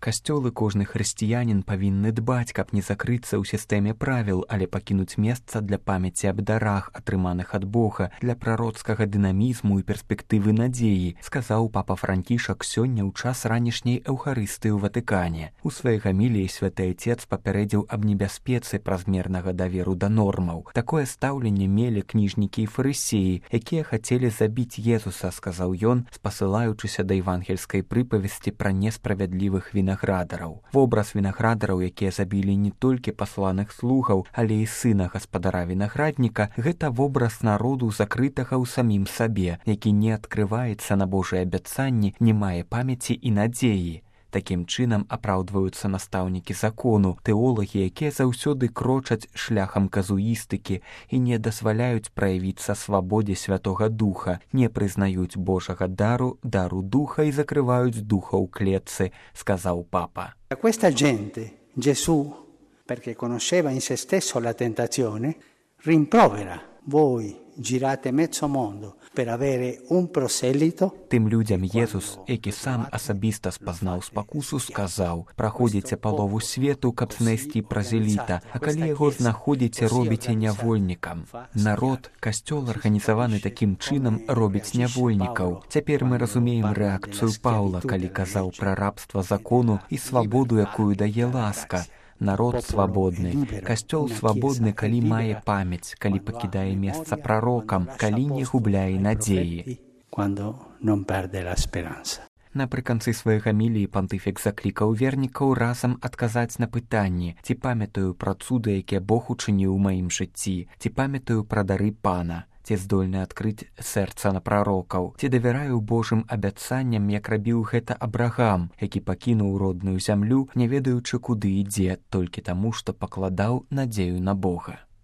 Касцёл і кожны хрысціянін павінны дбаць, каб не закрыцца ў сістэме правіл, але пакінуць месца для памяці аб дарах, атрыманых ад Бога, для прароцкага дынамізму і перспектывы надзеі, сказаў папа Францішак сёння ў час ранішняй эўхарыстыі ў Ватыкане. У сваёй гаміліі святы айцец папярэдзіў аб небяспецы празмернага даверу да нормаў. Такое стаўленне мелі кніжнікі і фарысеі, якія хацелі забіць Езуса, сказаў ён, спасылаючыся да евангельскай прыпавесці пра несправядлівых вінаградараў. Вобраз вінаградараў, якія забілі не толькі пасланых слугаў, але і сына гаспадара вінаградніка, гэта вобраз народу закрытага ў самім сабе, які не адкрываецца на Божыя абяцанні, не мае памяці і надзеі. Такім чынам апраўдваюцца настаўнікі закону, тэолагі, якія заўсёды крочаць шляхам казуістыкі і не дазваляюць праявіцца свабодзе Святога Духа, не прызнаюць Божага дару духа і закрываюць духа ў клетцы, сказаў папа. A questa gente Gesù, perché conosceva in se stesso la tentazione, rimprovera: voi girate mezzo mondo per avere un proselito. Тым людзям Езус, які сам асабіста спазнаў спакусу, сказаў: праходзіце палову свету, каб знайсці празеліта, а калі яго знаходзіце, робіце нявольнікам. Народ, касцёл, арганізаваны такім чынам, робіць нявольнікаў. Цяпер мы разумеем рэакцыю Паўла, калі казаў пра рабства закону і свабоду, якую дае ласка. Народ свабодны, касцёл свабодны, калі мае памяць, калі пакідае месца прарокам, калі не губляе надзеі. Напрыканцы сваёй гаміліі пантыфік заклікаў вернікаў разам адказаць на пытанні: ці памятаю пра цуды, якія Бог учыніў у маім жыцці, ці памятаю пра дары Пана, ці здольны адкрыць сэрца на прарокаў, ці давяраю Божым абяцанням, як рабіў гэта Абрагам, які пакінуў родную зямлю, не ведаючы, куды ідзе, толькі таму, што пакладаў надзею на Бога.